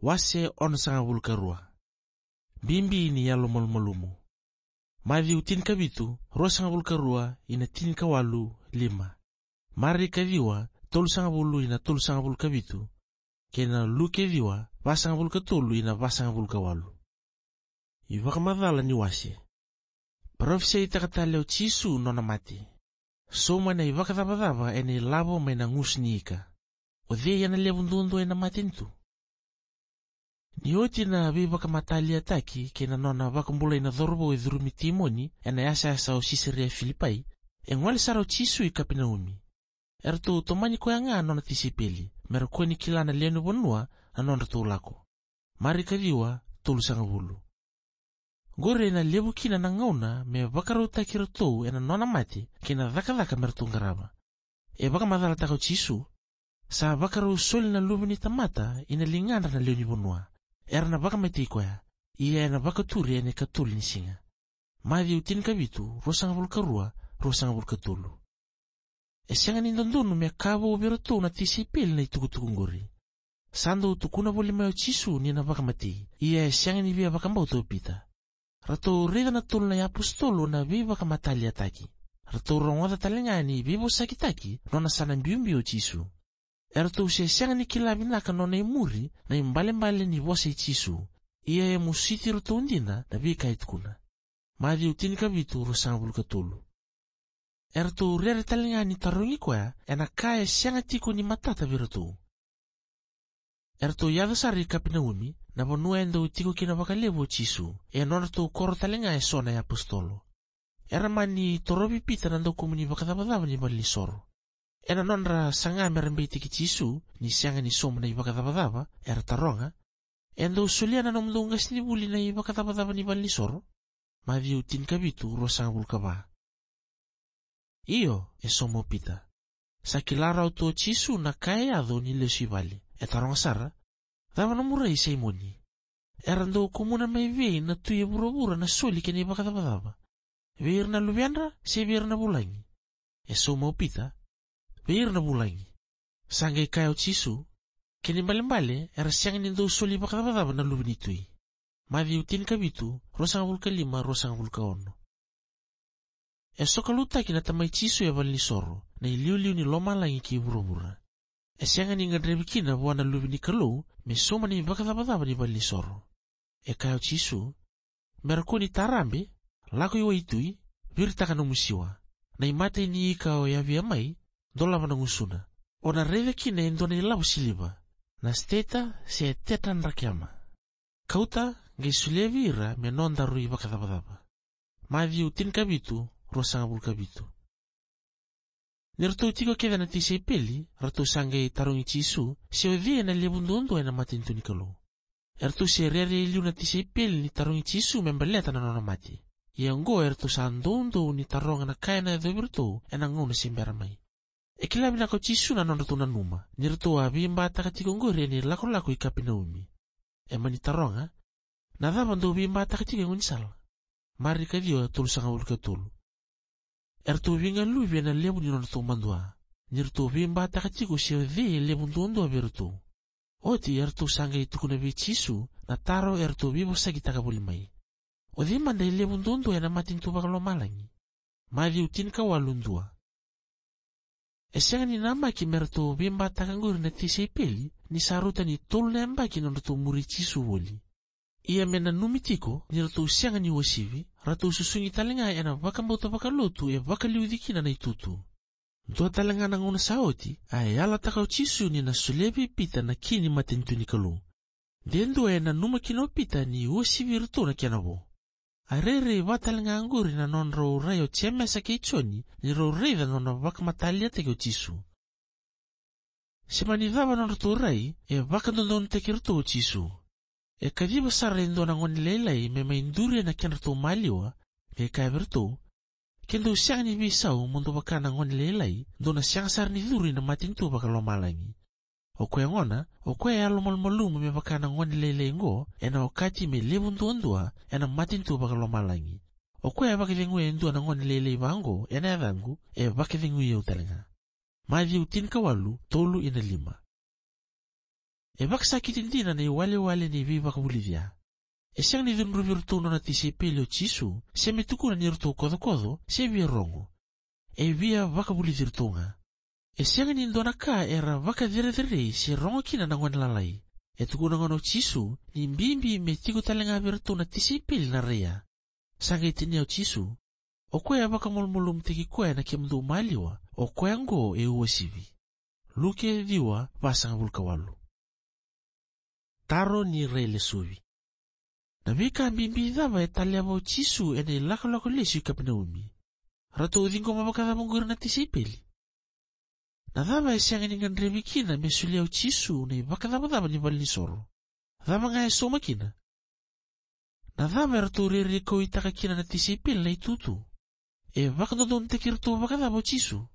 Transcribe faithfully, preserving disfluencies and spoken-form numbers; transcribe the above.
Wase onosagavulu ka rua. Bibi ni yalo malumalumu. Maciu tinikavitu, ruasagavulu ka rua ina tinikawalu, lima. Marika ciwa, tolusagavulu ina tolusagavulu ka vitu, kei na Luke ciwa, vasagavulu ka tolu ina vasagavulu ka walu. iVakamacala ni wase. Parofisaitaka tale o Jisu nona mate. Sauma na ivakacavacava ena ilavo mai na gusu ni ika. O cei ena levu duadua ena matanitu? Ni oti na veivakamataliataki kei na nona vakabulai na cauravou e curumi timoni ena yasayasa o Sisaria Filipai, e gole sara o Jisu i Kapenaumi. Eratou tomani koya ga na nona tisaipeli, me ra kua ni kila na lewe ni vanua na nodratou lako. Marika ciwa, tolusagavulu. Qori ena levu kina na gauna me vakarautaki iratou ena nona mate kei na cakacaka me ratou qarava. E vakamacalataka o Jisu, sa vakarau soli na Luve ni tamata ina ligadra na lewe ni vanua. Era na vakamatei koya, ia ena vakaturi ena ikatolu ni siga. Maciu tinikavitu, ruasagavulu ka rua, ruasagavulu ka tolu. E sega ni dodonu me ka vou vei iratou na tisaipeli na itukutuku qori. Sa dau tukuna voli mai o Jisu ni na vakamatei, ia e sega ni via vakabauta o Pita. Ratou raica na tolu na iapositolo na veivakamataliataki. Ratou rogoca tale ga ni veivosakitaki nona sa na biubiu o Jisu. Eratou se sega ni kila vinaka nona imuri na ibalebale ni vosa i Jisu, ia e mositi iratou dina na veika e tukuna. Maciu tinikavitu, ruasagavulu ka tolu. Eratou rere tale ga ni tarogi koya ena ka e sega tiko ni matata vei iratou. Eratou yaco sara i Kapenaumi, na vanua e dau tiko kina vakalevu o Jisu, e nodratou koro tale ga e so na iapositolo. Era mani torovi Pita na daukumuni vakacavacava ni valenisoro. Ena nodra saga me ra beitaki Jisu ni sega ni sauma na ivakacavacava, era taroga, "E dau solia na nomudou qasenivuli na ivakacavacava ni valenisoro?" Maciu tinikavitu, ruasagavulu ka va. "Io," e sauma o Pita. Sa kila rawa tu o Jisu na ka e yaco ni lesu i vale. E taroga sara, "Cava nomu rai, Saimoni? Era dau kumuna mai vei na tui e vuravura na soli kei na ivakacavacava? Vei ira na luvedra se vei ira na vulagi?" E sauma o Pita, "Vei ira na vulagi." Sa qai kaya o Jisu, "Kena ibalebale era sega ni dau soli vakacavacava na luve ni tui." Maciu tinikavitu, ruasagavulu ka lima, ruasagavulu ka ono. E sokalotutaki na Tamai Jisu e valenisoro, na iliuliu ni lomalagi kei vuravura. E sega ni gadrevi kina vua na Luve ni Kalou me sauma na ivakacavacava ni valenisoro. E kaya o Jisu, "Me ra kua ni tarabe, lako i waitui, viritaka nomu siwa. Na imatai ni ika o yavia mai, dolava na gusuna. O na raica kina e dua na ilavo siliva, na steta se tetadrakema. Kauta, qai solia vei ira me nodaru ivakacavacava." Maciu tinikavitu, ruasagavulu ka vitu. Ni ratou tiko kece na tisaipeli, ratou sa qai tarogi Jisu se o cei ena levu duadua ena matanitu ni Kalou. Eratou se rere e liu na tisaipeli ni tarogi Jisu me baleta na nona mate. Ia oqo eratou sa doudou ni taroga na ka ena yacovi iratou ena gauna se bera mai. E kila vinaka o Jisu na nodratou nanuma ni ratou a veibataka tiko oqori ena ilakolako i Kapenaumi. E mani taroga, "Na cava dou veibataka tiko e gaunisala?" Marika ciwa, tolusagavulu ka tolu. Eratou veigaluvi ena levu ni nodratou madua ni ratou veibataka tiko se o cei e levu duadua vei iratou. Oti eratou sa qai tukuna vei Jisu na taro eratou veivosakitaka voli mai, "O cei mada e levu duadua ena matanitu vakalomalagi?" Maciu tinikawalu, dua. E sega ni namaki me ratou veibataka oqori na tisaipeli ni sa rauta ni tolu na yabaki na nodratou muri Jisu voli. Ia me nanumi tiko ni ratou sega ni uasivi, ratou susugi tale ga ena vakabauta vakalotu e vakaliuci kina na itutu. Dua tale ga na gauna sa oti, a yalataka o Jisu ni na solia vei Pita na ki ni matanitu ni Kalou. De dua e nanuma kina o Pita ni uasivi iratou na kena vo. A rairai vata tale ga oqori na nodrau rai o Jemesa kei Joni ni rau raica na nona vakamataliataki o Jisu. Se mani cava nodratou rai, e vakadodonutaki iratou o Jisu. E kaciva sara e dua na gone lailai me mai duri ena kedratou maliwa, qai kaya vei iratou, "Ke dou sega ni veisau mo dou vaka na gone lailai, dou na sega sara ni curu ina matanitu vakalomalagi." O koya gona, o koya e yalomalumalumu me vaka na gone lailai oqo, ena okati me levu duadua ena matanitu vakalomalagi. O koya e vakacegui e dua na gone lailai vaqo ena yacaqu, e vakacegui au tale ga. Maciu tinikawalu, tolu ina lima. E vakasakiti dina na iwalewale ni veivakavulici ya. E sega ni cudruvi iratou nona tisaipeli o Jisu, se me tukuna ni ratou kocokoco, se via rogo. E via vakavulici iratou ga. E sega ni dua na ka era vakacerecerei se rogo kina na gone lalai. E tukuna gona o Jisu ni bibi me tiko tale ga vei iratou na tisaipeli na rai ya. Sa qai tinia o Jisu, "O koya e vakamalumalumutaki koya na kemudou maliwa, o koya oqo e uasivi." Luke ciwa, vasagavulu ka walu. Taro ni railesuvi. Na veika bibi cava e taleva o Jisu ena ilakolako lesu i Kapenaumi? Ratou ciqoma vakacava oqo ira na tisaipeli? Na cava e sega ni gadrevi kina me solia o Jisu na ivakacavacava ni valenisoro? Cava ga e sauma kina? Na cava eratou rerekautaka kina na tisaipeli na itutu? E vakadodonutaki iratou vakacava o Jisu?